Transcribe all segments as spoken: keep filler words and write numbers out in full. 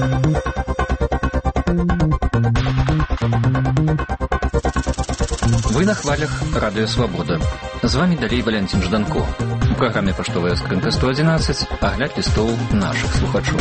Вы на хвалях Радио Свобода. З вами далей Валентин Жданко. У праграме «Паштовая скрынка сто одиннадцать» агляд лістоў нашых слухачоў.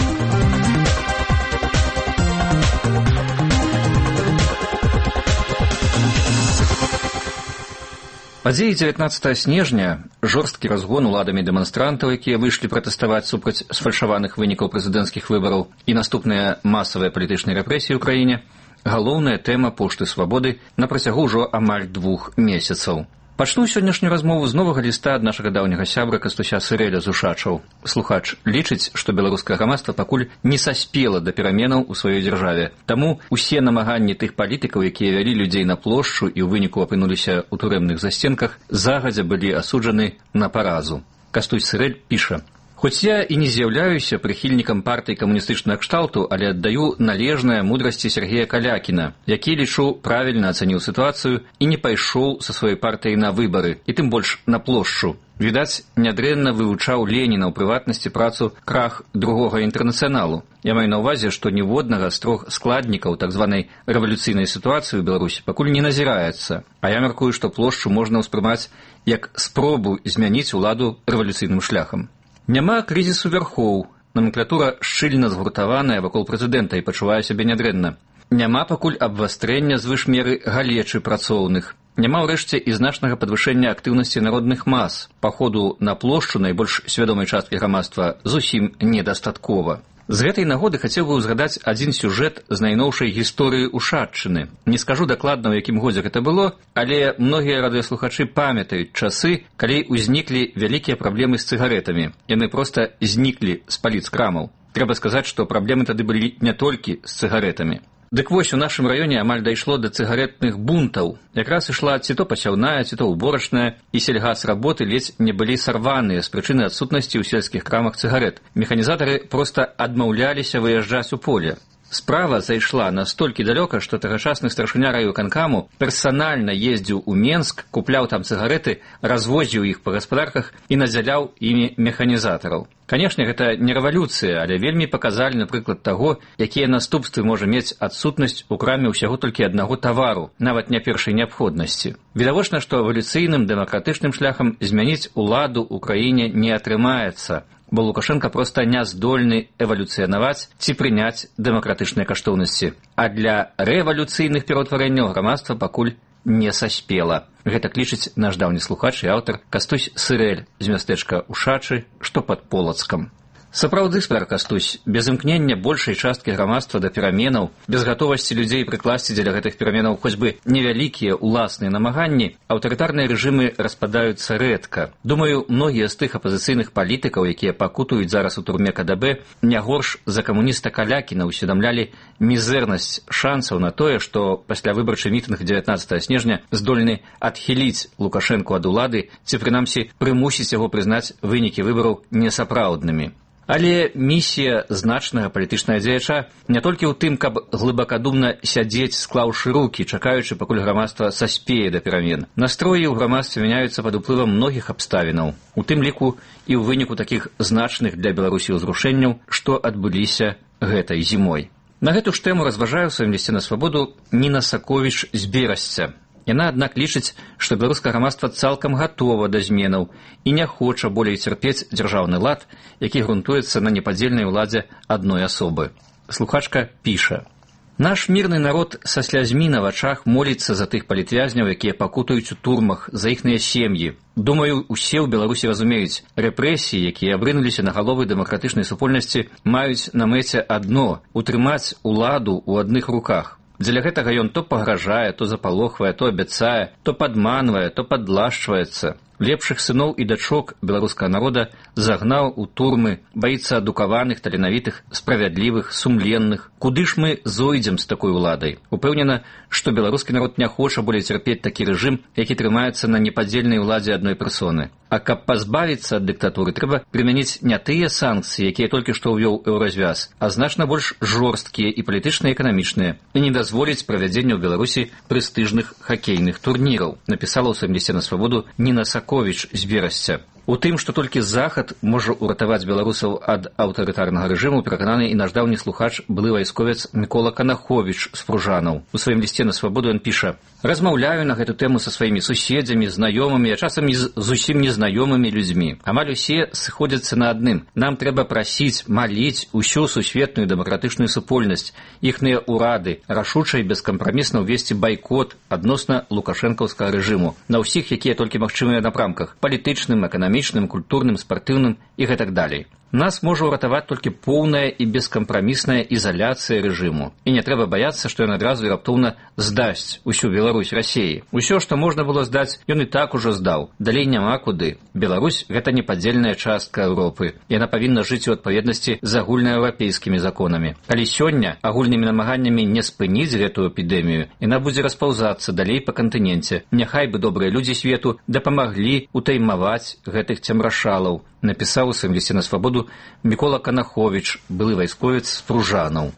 Падзеі дзевятнаццатага снежня, жорсткі разгон уладамі дэманстрантаў, якія выйшлі пратэставаць супраць сфальшаваных вынікаў прэзідэнцкіх выбараў, і наступныя масавыя палітычныя рэпрэсіі ў краіне – галоўная тэма пошты свабоды на працягу ўжо амаль двух месяцаў. Пачну сённяшнюю размову з новага ліста ад нашага даўняга сябра Кастуся Сырэля з Ушачаў. Слухач лічыць, што беларускае грамадства пакуль не саспела да пераменаў у сваёй дзяржаве. Таму усе намаганні тых палітыкаў, якія вялі людзей на плошчу і ў выніку апынуліся ў турэмных засценках, загадзя былі асуджаны на паразу. Кастусь Сырэль піша: «Хоць я і не з'яўляюся прыхільнікам партыі камуністычнага кшталту, але аддаю належнае мудрасці Сергея Калякіна, які, лічу, правільна ацаніў сітуацыю і не пайшоў са сваёй партыяй на выбары, і тым больш на плошчу. Відаць, нядрэнна вывучаў Леніна ў прыватнасці працу «Крах другога інтэрнацыяналу». Я маю на ўвазе, што ніводнага з трох складнікаў так званай рэвалюцыйнай сітуацыі ў Беларусі пакуль не назіраецца, а я мяркую, што плошчу можна ўспрымаць як спробу змяніць уладу рэвалюцыйным шляхам. Няма крызісу вярхоў, номенклатура шчыльна згуртаваная вакол прэзідэнта і пачувае сябе нядрэнна. Няма пакуль абвастрэння звыш меры галечы працоўных. Няма ўрэшце і значнага падвышэння актыўнасці народных мас. Паходу на плошчу найбольш свядомай часткі грамадства зусім недастаткова. З гэтай нагоды хацеў бы ўзгадаць адзін сюжэт з найноўшай гісторыі Ушаччыны. Не скажу дакладна, у якім годзе гэта было, але многія радыёслухачы памятаюць часы, калі ўзніклі вялікія праблемы з цыгарэтамі. Яны проста зніклі з паліц крамаў. Трэба сказаць, што праблемы тады былі не толькі з цыгарэтамі. Дык вось, у нашым раёне амаль дайшло да цыгарэтных бунтаў. Якраз ішла ці то пасяўная, ці то ўборачная, і сельгасработы ледзь не былі сарваныя з прычыны адсутнасці ў сельскіх крамах цыгарэт. Механізатары проста адмаўляліся выязджаць у поле. Справа зайшла настолькі далёка, што тагачасны старшыня райвыканкаму персанальна ездзіў у Менск, купляў там цыгарэты, развозіў іх па гаспадарках і надзяляў імі механізатараў. Канешне, гэта не рэвалюцыя, але вельмі паказальны прыклад таго, якія наступствы можа мець адсутнасць у краме ўсяго толькі аднаго тавару, нават не першай неабходнасці. Відавочна, што эвалюцыйным дэмакратычным шляхам змяніць уладу ў краіне не атрымаецца, бо Лукашенко проста не здольны эвалюцыянаваць ці прыняць дэмакратычныя каштоўнасці. А для рэвалюцыйных пераўтварэнняў грамадства пакуль не саспела. Гэтак лічыць наш даўні слухач і аўтар Кастусь Сырэль з мястэчка Ушачы, што пад Полацкам. Сапраўды, спадар Кастусь, без імкнення большай часткі грамадства да пераменаў, без гатовасці людзей прыкласці дзеля гэтых пераменаў хоць бы невялікія ўласныя намаганні, аўтарытарныя рэжымы распадаюцца рэдка. Думаю, многія з тых апазіцыйных палітыкаў, якія пакутуюць зараз у турме ка дэ бэ, не горш за камуніста Калякіна усведамлялі мізэрнасць шансаў на тое, што пасля выбарчы мітынг дзевятнаццатага снежня здольны адхіліць Лукашэнку ад улады ці, прынамсі, прымусіць яго прызнаць вынікі выбараў несапраўднымі. Але місія значнага палітычнага дзеяча не толькі ў тым, каб глыбакадумна сядзець, склаўшы рукі, чакаючы, пакуль грамадства саспее да перамен. Настроі ў грамадстве мяняюцца пад уплывам многіх абставінаў, у тым ліку і ў выніку такіх значных для Беларусі ўзрушэнняў, што адбыліся гэтай зімой. На гэту ж тэму разважае ў сваім лісце на свабоду Ніна Саковіч з Берасця. Яна, аднак, лічыць, што беларускае грамадства цалкам гатова да зменаў і не хоча болей цярпець дзяржаўны лад, які грунтуецца на непадзельнай уладзе адной асобы. Слухачка піша: «Наш мірны народ са слязьмі на вачах моліцца за тых палітвязняў, якія пакутаюць у турмах, за іхныя сем'і. Думаю, усе ў Беларусі разумеюць, рэпрэсіі, якія абрынуліся на галовы дэмакратычнай супольнасці, маюць на мэце адно – утрымаць уладу ў адных руках. Дзеля гэтага ён то пагражае, то запалохвае, то абяцае, то падманвае, то падлашчваецца. Лепшых сыноў і дачок беларускага народа загнаў у турмы, баіцца адукаваных, таленавітых, справядлівых, сумленных. Куды ж мы зойдзем з такой уладай? Упэўнена, што беларускі народ не хоча болей цярпець такі рэжым, які трымаецца на непадзельнай уладзе адной персоны. А каб пазбавіцца ад дыктатуры, трэба прымяніць не тыя санкцыі, якія толькі што ўвёў еўразвяз, а значна больш жорсткія і палітычна эканамічныя, і не дазволіць правядзення ў Беларусі прэстыжных хакейных турніраў, напісала ў сваім лісце на свабоду Ніна Саковіч з Берасця. У тым, што толькі захад можа ўратаваць беларусаў ад аўтарытарнага рэжыму, перакананы і наш даўні слухач, былы вайсковец Мікола Канаховіч з Пружанаў. У сваім лісце на свабоду ён піша: «Размаўляю на гэту тэму са сваімі суседзямі, знаёмымі, а часам і з зусім незнаёмымі людзьмі. Амаль усе сходзяцца на адным. Нам трэба прасіць, маліць усю сусветную дэмакратычную супольнасць, іхныя ўрады, рашуча і бескампрамісна ўвесці байкот адносна лукашэнкаўскага рэжыму на ўсіх, якія толькі магчымыя напрамках: палітычным, эканамічным, культурным, спартыўным і гэтак далей. Нас можа ўратаваць толькі поўная і бескампрамісная ізаляцыя рэжыму. І не трэба баяцца, што ён адразу і раптоўна здасць усю Беларусь Расіі. Усё, што можна было здаць, ён і так ужо здаў. Далей няма куды. Беларусь – гэта непадзельная частка Еўропы. Яна павінна жыць у адпаведнасці з агульнаеўрапейскімі законамі. Калі сёння агульнымі намаганнямі не спыніць гэтую эпідэмію, яна будзе распаўзацца далей па кантыненце. Няхай бы добрыя людзі свету дапамаглі утаймаваць гэтых цемрашалаў, напісаў у сваім лісце на свабоду Мікола Канаховіч, былы вайсковец з Пружанаў.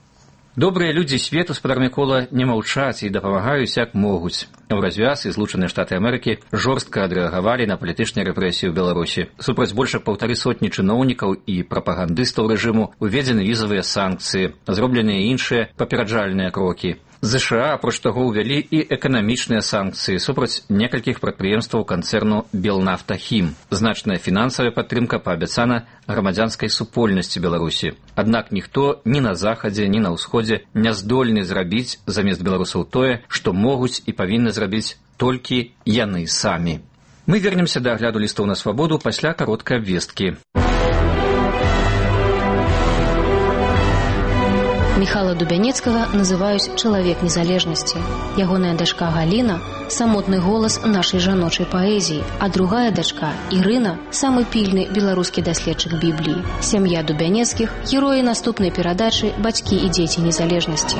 Добрыя людзі свету, спадар Мікола, не маўчаць і дапамагаюць як могуць. У развяз і Злучаныя Штаты Амерыкі жорстка адрэагавалі на палітычныя рэпрэсіі ў Беларусі. Супраць больш як паўтары сотні чыноўнікаў і прапагандыстаў рэжыму уведзены візавыя санкцыі, зробленыя іншыя папераджальныя крокі. ЗША, апроч таго, увялі і эканамічныя санкцыі супраць некалькіх прадпрыемстваў канцэрну «Белнафтахім». Значная фінансавая падтрымка паабяцана грамадзянскай супольнасці Беларусі. Аднак ніхто ні на захадзе, ні на ўсходзе не здольны зрабіць замест беларусаў тое, што могуць і павінны зрабіць толькі яны самі. Мы вернемся да агляду лістоў на свабоду пасля кароткай абвесткі. Міхала Дубянецкага называюць чалавек незалежнасці. Ягоная дачка Галіна – самотны голас нашай жаночай паэзіі, а другая дачка, Ірына – самы пільны беларускі даследчык Бібліі. Сям'я Дубянецкіх – героі наступнай перадачы «Бацькі і дзеці незалежнасці».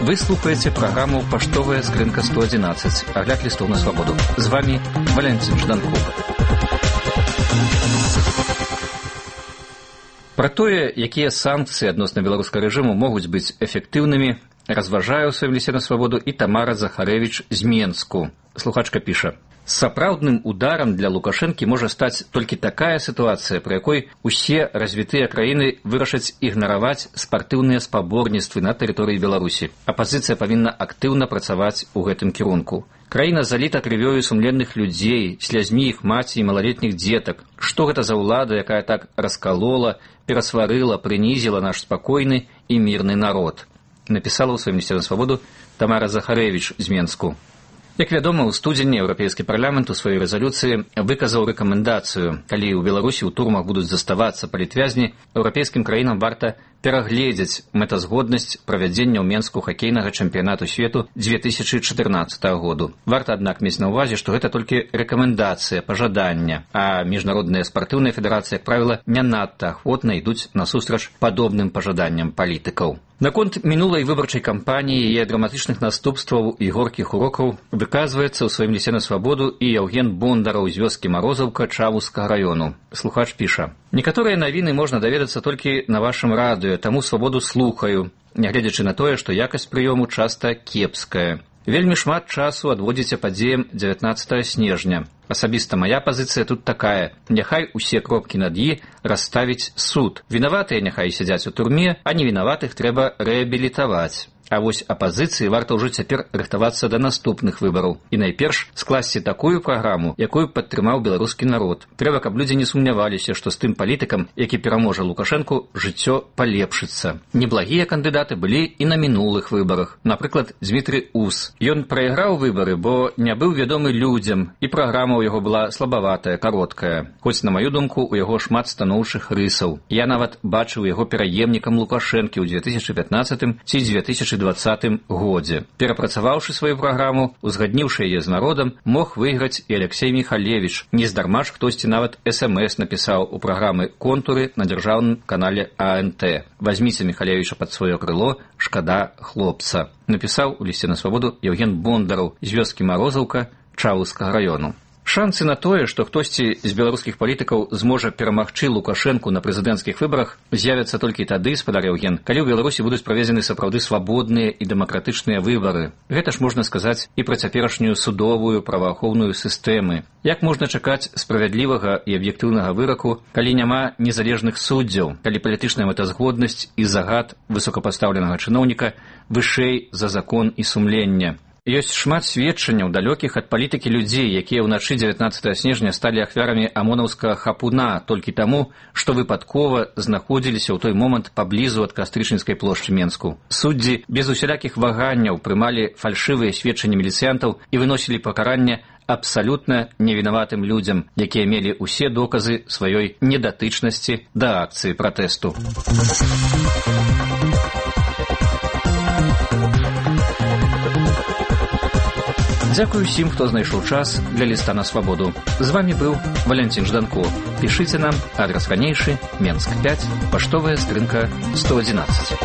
Вы слухаеце праграму «Паштовая скрынка сто адзінаццаць», агляд лістоў на свабоду. З вами Валянцін Жданков. Пра тое, якія санкцыі адносна беларускага рэжыму могуць быць эфектыўнымі, разважае ў сваім лісце на свабоду і Тамара Захарэвіч з Менску. Слухачка піша: «Сапраўдным ударам для Лукашэнкі можа стаць толькі такая сітуацыя, пры якой усе развітыя краіны вырашаць ігнараваць спартыўныя спаборніцтвы на тэрыторыі Беларусі. Апазіцыя павінна актыўна працаваць у гэтым кірунку. Краіна заліта крывёю сумленных людзей, слязьмі іх маці і малалетніх дзетак. Што гэта за ўлада, якая так раскалола, перасварыла, прынізіла наш спакойны і мірны народ?» Напісала ў сваім лісце на свабоду Тамара Захарэвіч з Менску. Як вядома, у студзені Еўрапейскі парламент у сваёй рэзалюцыі выказаў рэкамендацыю: калі ў Беларусі ў турмах будуць заставацца палітвязні, еўрапейскім краінам варта перагледзець мэтазгоднасць правядзення ў Менску хакейнага чэмпіянату свету дзве тысячы чатырнаццатага году. Варта, аднак, мець на ўвазе, што гэта толькі рэкамендацыя, пажадання, а міжнародная спартыўная федэрацыя, як правіла, не надта ахвотна ідуць насустрач падобным пажаданням палітыкаў. Наконт мінулай выбарчай кампаніі, яе драматычных наступстваў і горкіх урокаў выказваецца ў сваім лісце на свабоду і Яўген Бондараў з вёскі Марозаўка Чавускага раёну. Слухач піша: «Некаторыя навіны можна даведацца толькі на вашым радыё, таму свабоду слухаю, нягледзячы на тое, што якасць прыёму часта кепская. Вельмі шмат часу адводзіце падзеям дзевятнаццатага снежня. Асабіста мая пазіцыя тут такая: няхай усе кропкі над «і» расставіць суд. Вінаватыя няхай сядзяць у турме, а невінаватых трэба рэабілітаваць. А вось апазіцыі варта ўжо цяпер рыхтавацца да наступных выбараў. І найперш скласці такую праграму, якую падтрымаў беларускі народ. Трэба, каб людзі не сумняваліся, што з тым палітыкам, які пераможа Лукашэнку, жыццё палепшыцца. Неблагія кандыдаты былі і на мінулых выбарах. Напрыклад, Дзмітрый Ус. Ён прайграў выбары, бо не быў вядомы людзям, і праграма ў яго была слабаватая, кароткая. Хоць, на маю думку, у яго шмат станоўчых рысаў. Я нават бачыў яго пераемнікам Лукашэнкі ў дзве тысячы пятнаццатым ці дзве тысячы двадцатым годзе. Перапрацаваўшы сваю праграму, узгадніўшы яе з народам, мог выйграць і Алексей Михалевич. Нездарма ж хтосьці нават эс эм эс напісаў у праграмы «Контуры» на дзяржаўным канале а эн тэ. «Вазьміце Михалевича пад сваё крыло, шкада хлопца», напісаў у лісце на свабоду Яўген Бондараў з вёскі Марозаўка Чавускага раёну. Шансы на тое, што хтосьці з беларускіх палітыкаў зможа перамагчы Лукашэнку на прэзідэнцкіх выбарах, з'явяцца толькі тады, спадар Яўген, калі ў Беларусі будуць праведзены сапраўды свабодныя і дэмакратычныя выбары. Гэта ж можна сказаць і пра цяперашнюю судовую праваахоўную сістэмы. Як можна чакаць справядлівага і аб'ектыўнага выраку, калі няма незалежных суддзяў, калі палітычная мэтазгоднасць і загад высокапастаўленага чыноўніка вышэй за закон і сумлення? Ёсць шмат сведчанняў далёкіх ад палітыкі людзей, якія ўначы дзевятнаццатага снежня сталі ахвярамі амонаўскага хапуна толькі таму, што выпадкова знаходзіліся ў той момант паблізу ад Кастрычніцкай плошчы Менску. Суддзі без усялякіх ваганняў прымалі фальшывыя сведчанні міліцыянтаў і выносілі пакаранне абсалютна невінаватым людзям, якія мелі ўсе доказы сваёй недатычнасці да акцыі пратэсту. Дзякую ўсім, хто знайшоў час для ліста на свабоду. З вамі быў Валянцін Жданко. Пішыце нам, адрас ранейшы, Менск пяць, паштовая скрынка сто адзінаццаць.